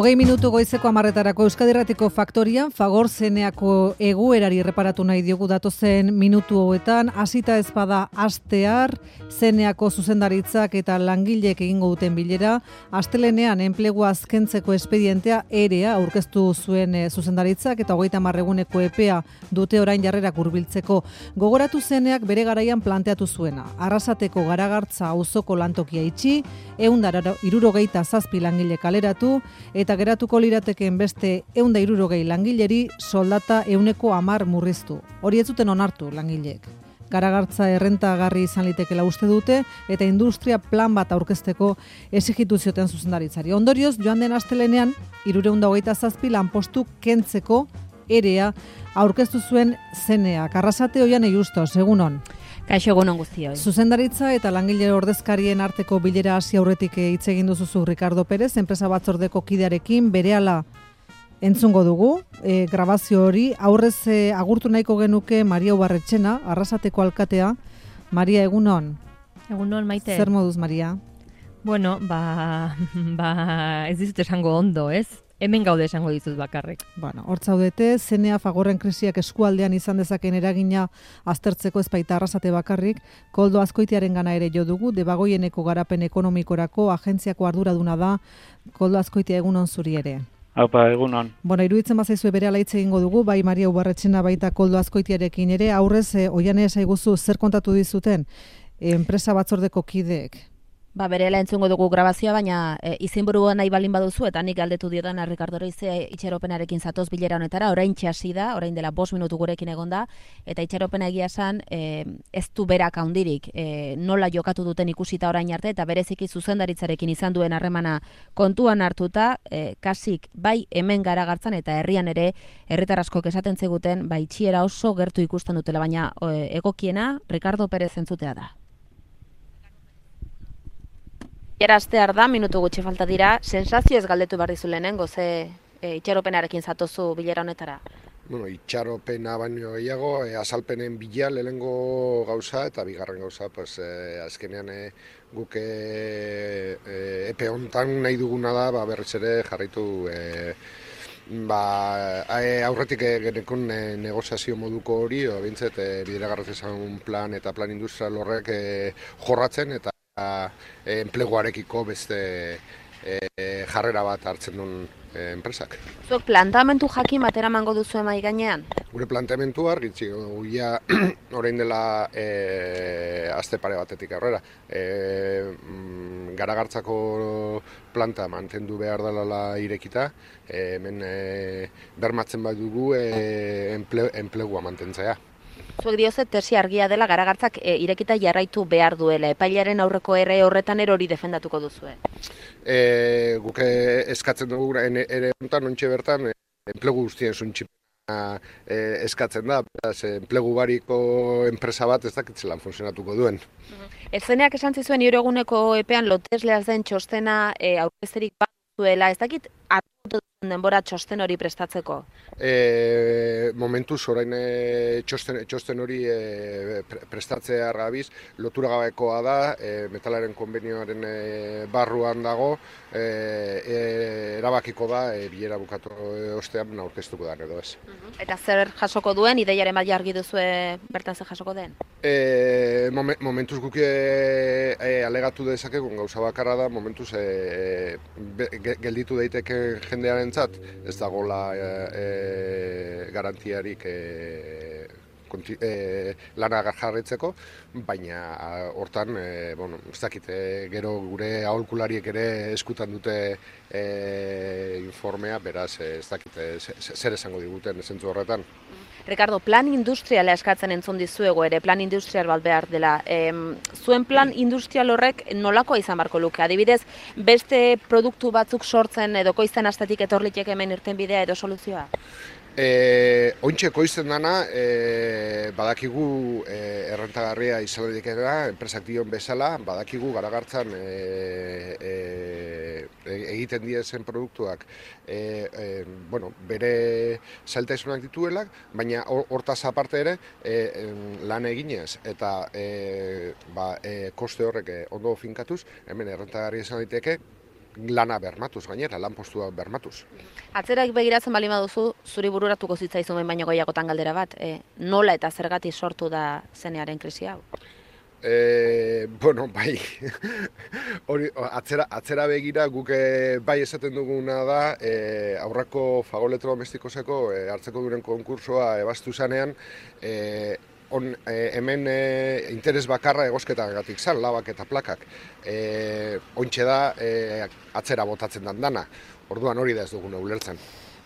20 goizeko 10:00 Euskadi Irratiko Faktorian Fagor Zeneako egoerari erreparatu nahi diogu datozen minutu hauetan. Hasita ez bada astear, Zeneako zuzendaritzak eta langileek egingo duten bilera, astelenean enplegua azkentzeko espedientea EREA aurkeztu zuen zuzendaritzak eta 30 eguneko epea dute orain jarrerak hurbiltzeko. Gogoratu Zeneak bere garaian planteatu zuena. Arrasateko Garagartza auzoko lantokia itxi, 167 langile kaleratu, eta geratuko lirateken beste 160 langileri soldata 10% murriztu. Hori ez zuten onartu langileek. Garagartza errentagarri izan litekela uste dute eta industria plan bat aurkezteko exigitu zioten zuzendaritzari. Ondorioz, joan den astelenean 327 lanpostu kentzeko EREA aurkeztu zuen Zeneak. Arrasate Oiane Justos, egunon. Kaixo egunon guztioi. Zuzendaritza eta langile ordezkarien arteko bilera hasi aurretik hitz egin duzu Ricardo Pérez, enpresa batzordeko kidearekin, berehala entzungo dugu. Grabazio hori aurrez agurtu nahiko genuke Maria Ubarretxena, Arrasateko alkatea. Maria, egunon. Egunon, Maite. Zer moduz, Maria? Bueno, ez dizut esango ondo, ez? Hemen gaude esango dizut bakarrik. Bueno, hor zaudete, Zenea Fagorren krisiak eskualdean izan dezaken eragina aztertzeko ez baita Arrasate bakarrik, Koldo Azkoitiaren gana ere jo dugu, Debagoieneko garapen ekonomikorako agentziako arduraduna da. Koldo Azkoitia, egunon zuri ere. Aupa, egunon. Bueno, iruditzen bazaizue berehala hitz egingo dugu, bai Maria Ubarretxena baita Koldo Azkoitiarekin ere, aurrez Oiane esaiguzu zer kontatu dizuten enpresa batzordeko kideek. Berela entzungo dugu grabazioa, baina izenburua nahi balin baduzu, eta nik galdetu diodan Ricardo Reize itxaropenarekin zatoz bilera honetara, orain hasi da, orain dela 5 minutu gurekin egonda, eta itxaropena egia esan ez du berak handirik, nola jokatu duten ikusita orain arte, eta bereziki zuzendaritzarekin izan duen harremana kontuan hartuta, kasik bai hemen Garagartzan eta herrian ere herritar askok esaten zeguten, itxiera oso gertu ikusten dutela, baina egokiena Ricardo Pérez entzutea da. Astear da, minutu gutxi falta dira, sensazio ez galdetu behar dizu lehenengo, ze itxaropenarekin zatozu bilera honetara? Bueno, itxaropena baino gehiago, azalpenen bila lehenengo gauza eta bigarren gauza, azkenean guk epe hontan nahi duguna da, berriz ere jarraitu aurretik genekon negoziazio moduko hori, bintzet bideragarritasun plan eta plan industrial horrek jorratzen eta enpleguarekiko beste jarrera bat hartzen duen enpresak. Zuek plantamentu jakin bat eramango duzu emai gainean? Gure plantamentua argitzi guia orain dela aste pare batetik aurrera. Garagartzako planta mantendu behar dela irekita, hemen bermatzen badugu enplegua mantentzea. Zuek dioze tesi argia dela Garagartzak irekita jarraitu behar duela. Epailaren aurreko ere horretan hori defendatuko duzue? Guk eskatzen dugu ere honetan ontxe bertan enplegu guztien zuntxipena eskatzen da. Enplegu bariko enpresa bat ez dakitzelan funtzionatuko duen. Zeneak esan zizuen eguneko epean lotesleaz den txostena aurkezterik bat duela. Ez dakit hartu denbora txosten hori prestatzeko? Momentuz orain txosten hori prestatzea gabiz, lotura gabekoa da, metalaren konbenioaren barruan dago, erabakiko da, bilera bukatu ostean aurkeztuko da edo ez. Eta zer jasoko duen, ideiaren bat jargi duzue bertan zer jasoko den? Momentuz guk alegatu dezakegu gauza bakarra da, momentuz gelditu daiteke jendearentzat, ez dagoela garantiarik lana jarraitzeko, baina hortan, ez dakit, gero gure aholkulariek ere eskutan dute informea, beraz, ez dakit, zer esango diguten zentzu horretan. Ricardo, plan industriala eskatzen entzun dizuego ere, plan industrial bat behar dela. Zuen plan industrial horrek nolakoa izan barko luke? Adibidez, beste produktu batzuk sortzen edo koizten astatik etorlitek hemen irtenbidea edo soluzioa? Ointxe koizten dana, badakigu errentagarria izan dira, enpresak dion bezala, badakigu Garagartzan egiten diren produktuak bere zailtasunak dituelak, baina hortaz aparte ere lan eginez eta koste horrek ondo finkatuz, hemen errentagarria izan daiteke lana bermatuz gainera, lanpostua bermatuz. Atzerak begiratzen bali baduzu, zuri bururatuko zitzaizu behin baino gehiagotan galdera bat, nola eta zergatik sortu da zenearen krisi hau? Bueno, bai, hori, atzera begira guk bai esaten duguna da, aurrako Fagor Elektrodomestikoseko hartzeko duren konkursoa ebastu zanean, hemen interes bakarra egosketagatik zan, labak eta plakak. Ontxe da atzera botatzen dan dana, orduan hori da ez duguna ulertzen.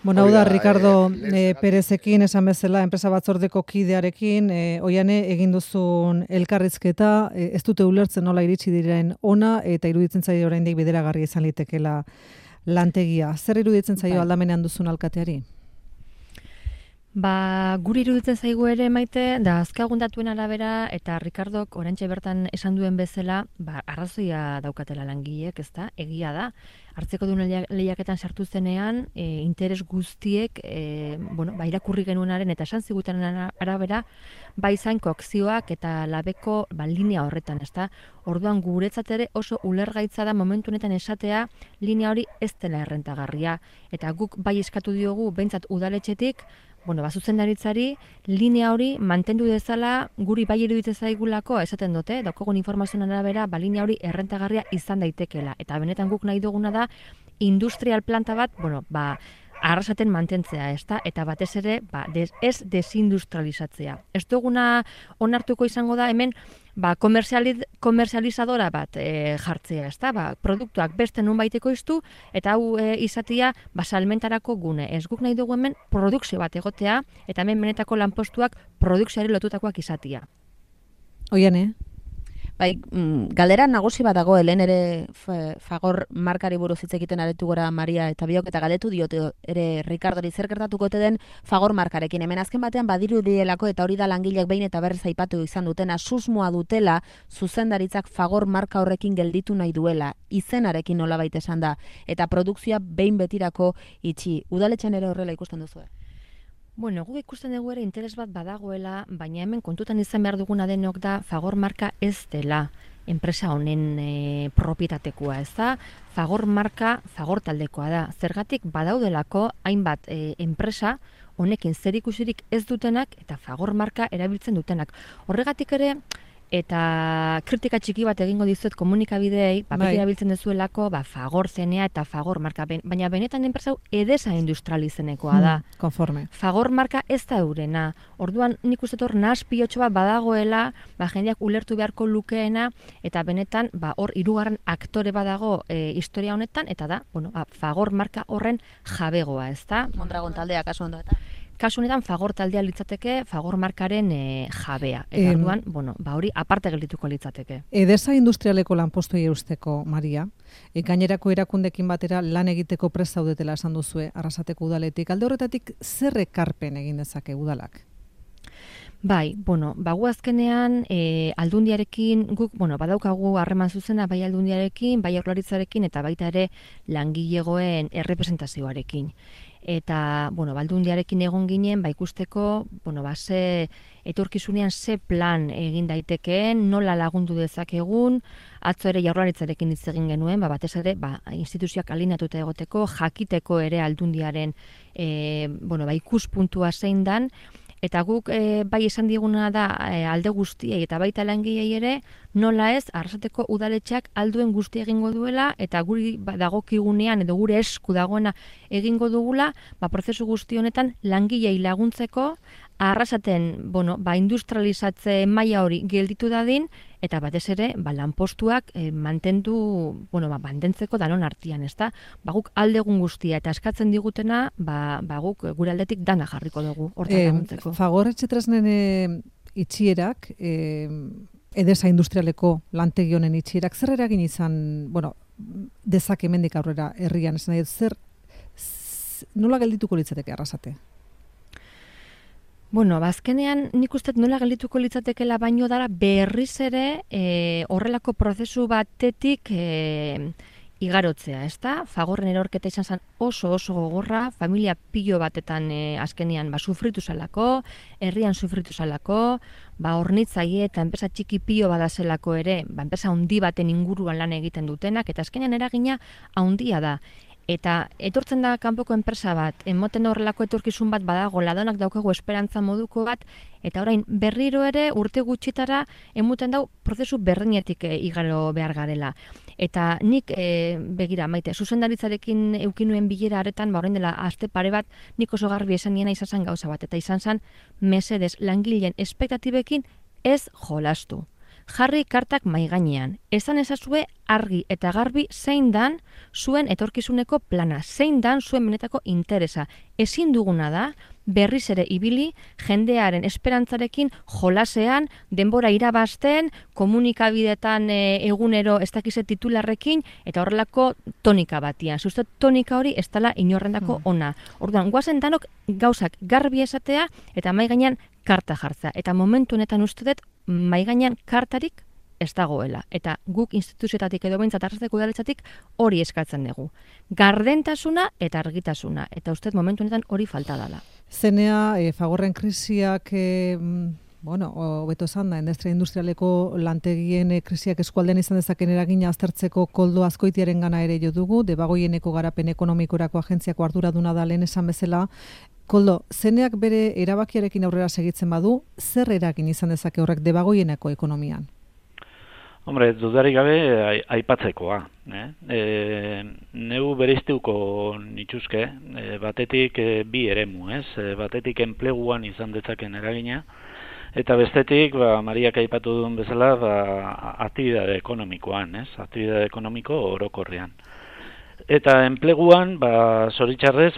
Bueno, hau da, Ricardo Perezekin esan bezala, enpresa batzordeko kidearekin, Oiane egin duzun elkarrizketa, ez dute ulertzen nola iritsi diren ona, eta iruditzen zaio oraindik bideragarri izan litekela lantegia. Zer iruditzen zaio aldamenean duzun alkateari? Guri iruditzen zaigu ere Maite, da azkagun datuen arabera, eta Ricardok oraintxe bertan esan duen bezala, arrazoia daukatela langileek, ezta? Egia da. Hartzeko duen lehiaketan sartu zenean, interes guztiek, irakurri genuenaren eta esan zigutenen arabera, zain kokzioak eta labeko linea horretan, ezta? Orduan guretzat ere oso ulergaitza da momentu honetan esatea linea hori ez dela errentagarria. Eta guk bai eskatu diogu, behintzat udaletxetik, zuzendaritzari linea hori mantendu dezala guri bai iruditzen zaigulako esaten dute, daukagun informazioen arabera, linea hori errentagarria izan daitekela. Eta benetan guk nahi duguna da industrial planta bat, arrasaten mantentzea, ezta? Eta batez ere, ez desindustrializatzea. Ez duguna onartuko izango da hemen komerzializadora bat jartzea, ezta? Produktuak beste nonbaiteko iztu eta hau izatea salmentarako gune. Ez guk nahi dugu hemen produkzio bat egotea eta hemen benetako lanpostuak produkzioari lotutakoak izatea. Oiane? Bai, galdera nagusi bat dago, helen ere Fagor markari buruz hitz egiten aretu gora Maria eta biok, eta galdetu diote ere Ricardori zer gertatuko den Fagor markarekin. Hemen azken batean badirudielako eta hori da langileak behin eta berriz aipatu izan dutena, susmoa dutela zuzendaritzak Fagor marka horrekin gelditu nahi duela, izenarekin nolabait esan da, eta produkzioa behin betirako itxi. Udaletxean ere horrela ikusten duzu? Guk ikusten dugu ere interes bat badagoela, baina hemen kontutan izan behar duguna denok da Fagor marka ez dela enpresa honen propietatekoa, ez da? Fagor marka Fagor taldekoa da. Zergatik badaudelako hainbat enpresa honekin zerikusirik ez dutenak eta Fagor marka erabiltzen dutenak. Horregatik ere, eta kritika txiki bat egingo dizuet komunikabideei, erabiltzen dezuelako, Fagor zenea eta Fagor marka, baina benetan enpresa edesa industrializenekoa da. Konforme. Fagor marka ez da eurena. Orduan nik uste hor nahas pilotxo bat badagoela, jendeak ulertu beharko lukeena, eta benetan hor hirugarren aktore badago historia honetan, eta da, Fagor marka horren jabegoa, ez da? Mondragon taldea kasu ondo eta? Kasu honetan Fagor taldea litzateke Fagor markaren jabea. Eta orduan, hori aparte geldituko litzateke. Edesa industrialeko lanpostuei eusteko, Maria, gainerako erakundekin batera lan egiteko prest zaudetela esan duzue Arrasateko udaletik. Alde horretatik zer ekarpen egin dezake udalak? Bai, gu azkenean aldundiarekin, guk, badaukagu harreman zuzena bai aldundiarekin, bai Jaurlaritzarekin eta baita ere langilegoen errepresentazioarekin. Eta, aldundiarekin egon ginen, ikusteko, ze etorkizunean ze plan egin daitekeen, nola lagundu dezakegun, atzo ere Jaurlaritzarekin hitz egin genuen, batez ere, instituzioak alineatuta egoteko, jakiteko ere aldundiaren, ikuspuntua zein dan, eta guk bai esan diguna da alde guztiei eta baita langilei ere, nola ez Arrasateko udaletxeak alduen guzti egingo duela eta guri dagokigunean edo gure esku dagoena egingo dugula, prozesu guzti honetan langilei laguntzeko Arrasaten, industrializatze maila hori gelditu dadin eta batez ere, lanpostuak mantentzeko danon artean, ezta? Guk aldegun guztia eta eskatzen digutena, guk gure aldetik dana jarriko dugu hortan laguntzeko. Fagor etxetresnen itxierak, edesa industrialeko lantegi honen itxierak, zer eragin izan, dezake hemendik aurrera herrian, esan nahi, nola geldituko litzateke Arrasate? Azkenean nik uste nola geldituko litzatekela baino dara berriz ere horrelako prozesu batetik igarotzea, ezta? Fagorren erorketa izan zen oso gogorra, familia pilo batetan azkenean sufritu zalako, herrian sufritu zalako, hornitzaile eta enpresa txiki pilo badazelako ere, enpresa handi baten inguruan lan egiten dutenak, eta azkenean eragina handia da. Eta etortzen da kanpoko enpresa bat, emoten horrelako etorkizun bat badago, ladonak daukagu esperantza moduko bat, eta orain berriro ere urte gutxitara emuten dau prozesu berdinetik igaro behar garela. Eta nik, begira, Maite, zuzendaritzarekin eukinuen bilera aretan, orain dela aste pare bat, nik oso garbi esan niena izan zen gauza bat, eta izan zen mesedez langileen espektatibekin ez jolastu. Jarri kartak maigainean. Esan ezazue argi eta garbi zein dan zuen etorkizuneko plana, zein dan zuen benetako interesa. Ezin duguna da, berriz ere ibili, jendearen esperantzarekin jolasean, denbora irabazten, komunikabidetan egunero ez dakize titularrekin, eta horrelako tonika batian. Zuztet tonika hori ez dela inorrendako ona. Orduan, guazen danok gauzak garbi esatea, eta maigainean karta jartzea. Eta momentu honetan uste dut, maigainean kartarik ez dagoela. Eta guk instituzioetatik edo behintzat arrasteko udaletzatik hori eskatzen dugu. Gardentasuna eta argitasuna. Eta uste momentu honetan hori falta dela. Zenea, Fagorren krisiak, hobeto esan da, industrialeko lantegien krisiak eskualdean izan dezaken eragina aztertzeko Koldo Azkoitiaren gana ere jo dugu, Debagoieneko garapen ekonomikorako agentziako arduraduna da lehen esan bezala. Koldo, zeneak bere erabakiarekin aurrera segitzen badu, zer eragin izan dezake horrek Debagoieneko ekonomian? Hombre, dudarik gabe aipatzekoa. Neu bereiztuko nituzke, batetik bi eremu, batetik enpleguan izan dezaken eragina, eta bestetik, Mariak aipatu duen bezala, aktibitate ekonomikoan, aktibitate ekonomiko orokorrean. Eta enpleguan, zoritxarrez,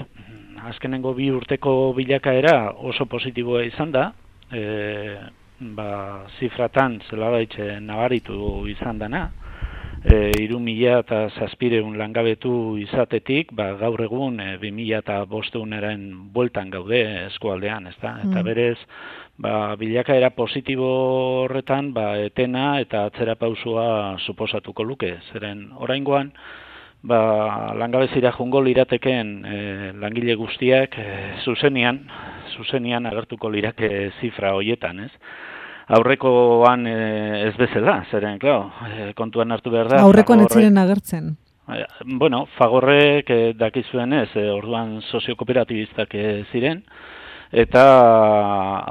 azkenengo 2 urteko bilakaera oso positiboa izan da, zifratan zelabaitxe nabaritu izan dana, 3.700 langabetu izatetik, gaur egun 2.500-eren bueltan gaude eskualdean, ezta? Eta berez, bilakaera positibo horretan, etena eta atzera pausua suposatuko luke. Zeren, oraingoan, langabezira jungo lirateken langile guztiak zuzenian agertuko lirake zifra hoietan, ez? Aurrekoan ez bezala, zeren, kontuan hartu behar da. Aurrekoan ez ziren agertzen. Fagorrek dakizuen ez, orduan soziokooperatibistak ziren, eta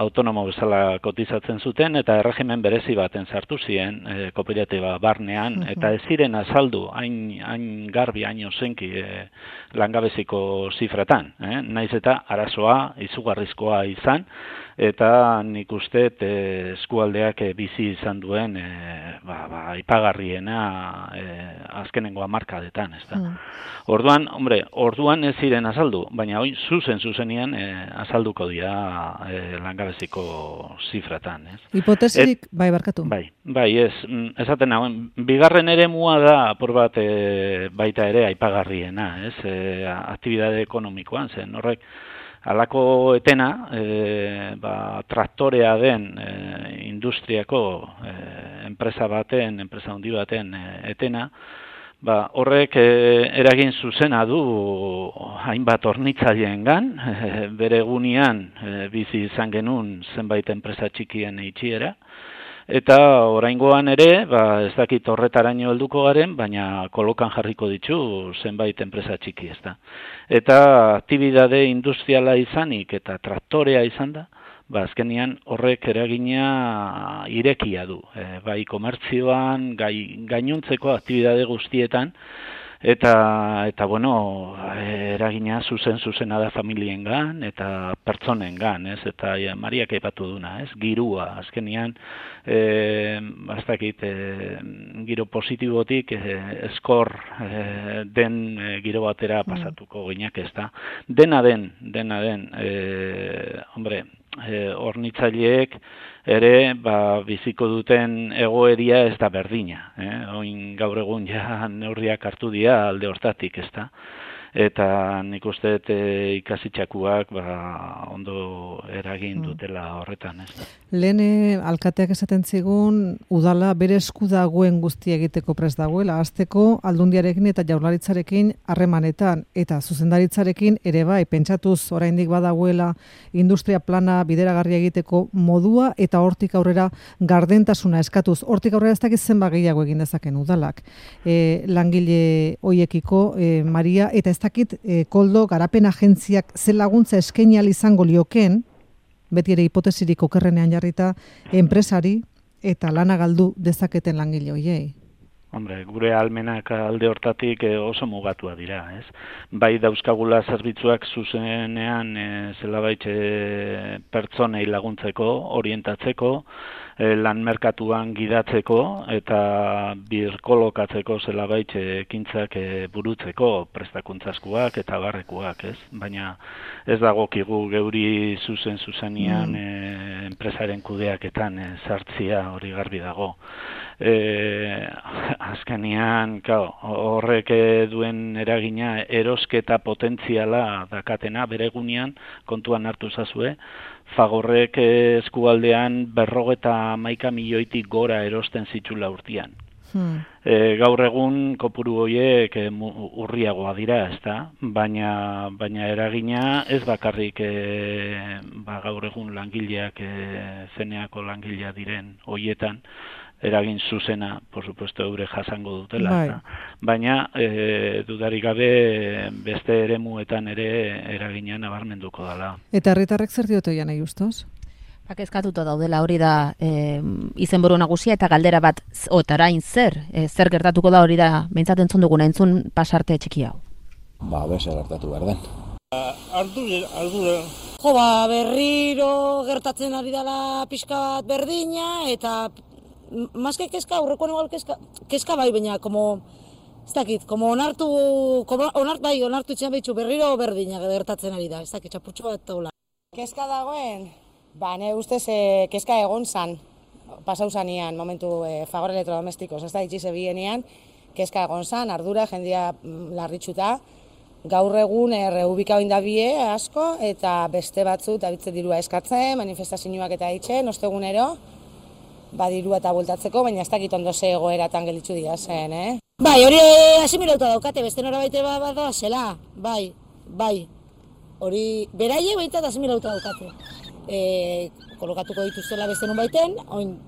autonomo bezala kotizatzen zuten, eta erregimen berezi baten sartu ziren kooperatiba barnean, eta ez ziren azaldu, hain garbi, hain ozenki langabeziko zifratan. Naiz eta arazoa izugarrizkoa izan, eta nik uste eskualdeak bizi izan duen aipagarriena azkenengo hamarkadetan, ezta. Orduan ez ziren azaldu, baina hori zuzenean azalduko dira langabeziko zifratan, ez? Hipotesirik, barkatu. Esaten hauen, bigarren eremua da apur bat baita ere aipagarriena, ez? Aktibitate ekonomikoan, zen horrek halako etena, traktorea den industriako enpresa handi baten etena, horrek eragin zuzena du hainbat hornitzaileengan, bere egunean bizi izan genuen zenbait enpresa txikien itxiera, eta oraingoan ere, ez dakit horretaraino helduko garen, baina kolokan jarriko ditu zenbait enpresa txiki, ezta. Eta aktibitate industriala izanik eta traktorea izan da, azkenean horrek eragina irekia du. Bai komertzioan, gainuntzeko aktibitate guztietan, eta eragina zuzena da familiengan eta pertsonengan, ez? Eta Mariak aipatu duna, ez? Girua, azkenean, ez dakit, giro positibotik eskor den giro batera pasatuko ginak, ez da? Dena den, hornitzaileek ere biziko duten egoeria ez da berdina. Oin gaur egun ja neurriak hartu dira alde hortatik, ez da. eta nik uste ikasitxakuak ondo eragin dutela horretan, ez da. Lehen alkateak esaten zigun, udala bere esku dagoen guztia egiteko prest dagoela, hasteko aldundiarekin eta jaurlaritzarekin harremanetan, eta zuzendaritzarekin ere bai, pentsatuz oraindik badagoela industria plana bideragarria egiteko modua, eta hortik aurrera gardentasuna eskatuz. Hortik aurrera ez dakit zenbat gehiago egin dezaken udalak. Langile hoiekiko, Maria, eta ez dakit Koldo garapen agentziak ze laguntza eskaini ahal izango lioken, beti ere hipotesirik okerrenean jarrita, enpresari eta lana galdu dezaketen langile hoiei. Hombre, gure almenak alde hortatik oso mugatua dira, ez? Bai dauzkagula zerbitzuak zuzenean zelabait pertsonei laguntzeko, orientatzeko, lan merkatuan gidatzeko eta birkolokatzeko zelabait ekintzak burutzeko prestakuntzaskuak eta barrekuak, ez? Baina ez dagokigu geuri zuzenean enpresaren kudeaketan sartzia hori garbi dago. Azkenean, horrek duen eragina erosketa potentziala dakatena bere egunean, kontuan hartu zazue, Fagorrek eskualdean 51 milioitik gora erosten zitula urtean. Gaur egun kopuru horiek urriagoa dira, ezta? Baina eragina ez bakarrik gaur egun langileak zeneako langilea diren horietan, eragin zuzena, por supuesto, eure jasango dutela. Baina, dudarik gabe, beste eremuetan ere eragina nabarmenduko dela. Eta herritarrek zer diote nahi ustez? Kezkatuta daudela, hori da izenburu nagusia eta galdera bat, otarain zer gertatuko da hori da, behintzat entzun duguna, entzun pasarte txiki hau. Zer gertatu behar den. Ardura. Berriro gertatzen ari dela pixka bat berdina, eta maske kezka, aurrekoan igual kezka bai, baina, ez dakit, onartu itxean behitxu, berriro berdina gertatzen ari da, ez dakit, txapurtxo bat taula. Kezka dagoen, ne ustez kezka egon zan, pasau zanean, momentu Fagor Elektrodomestikos, ez da, itxize bienean, kezka egon zan, ardura, jendia larritxuta, gaur egun erreubikau indabie asko, eta beste batzu, eta bitze dirua eskatzen, manifestazioak eta itxen, ostegunero, dirua eta bueltatzeko, baina ez dakit ondo ze egoeratan gelitzu dira zen, hori asimilauta daukate, beste nora baite bat da, zela, bai. Hori, beraie behintzat asimilauta daukate. Kolokatuko dituztela beste nun baiten, oin,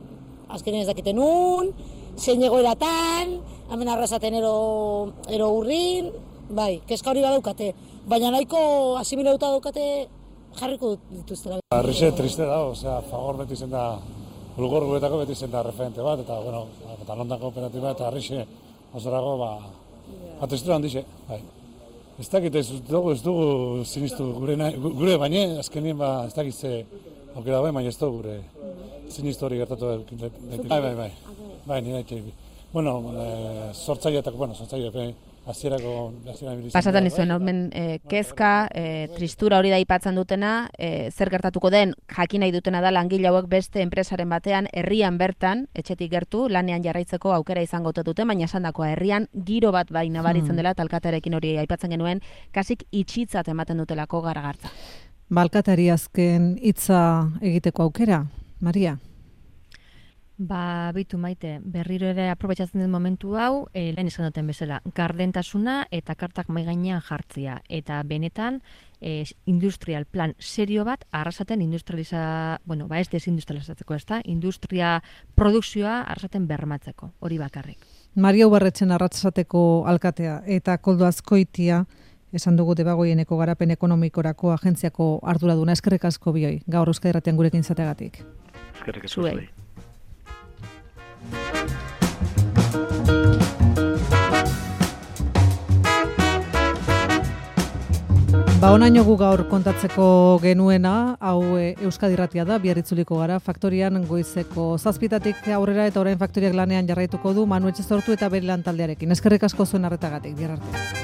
azkenean ez dakiten nun, zein egoeratan, hemen arrasaten ero urrin, kezka hori badaukate. Baina nahiko asimilauta daukate jarriko dituztela. Arrixe triste da, Fagor beti zen da, Bulgor guretako beti zen da referente bat, eta, eta Londan kooperatiba eta Arrixe ozorago, tristura handixe, Ez dakit ez dugu sinistu gure baina, azkenien ez dakit ze aukera baina ez dugu gure sinistu hori gertatu Bai, nire etxe. Sortzaile, hasierako pasatan izuen, kezka, tristura hori da aipatzen dutena, zer gertatuko den, jakin nahi dutena da langile hauek beste enpresaren batean, herrian bertan, etxetik gertu, lanean jarraitzeko aukera izango duten, baina esandakoa herrian giro bat bai nabaritzen dela, alkatearekin hori aipatzen genuen, kasik itxitzat ematen dutelako garagartza. Alkateari azken hitza egiteko aukera, Maria? Bitu Maite, berriro ere aprobetxatzen den momentu hau, lehen esan duten bezala, gardentasuna eta kartak maigainean jartzia. Eta benetan, industrial plan serio bat, arrasaten ez desindustrializatzeko, ez da? Industria produkzioa arrasaten bermatzeko, hori bakarrik. Maria Ubarretxen Arratsateko alkatea eta Koldo Azkoitia, esan dugu Debagoieneko garapen ekonomikorako agentziako arduraduna, eskerrik asko bioi, gaur Euskadi Irratian gurekin izateagatik. Eskerrik asko zuei. Onaino gu gaur kontatzeko genuena, hau Euskadi Irratia da, bihar itzuliko gara, faktorian goizeko 7:00 aurrera eta orain faktoriak lanean jarraituko du Manu Etxezortu eta bere lan taldearekin. Eskerrik asko zuen arretagatik, bihar arte.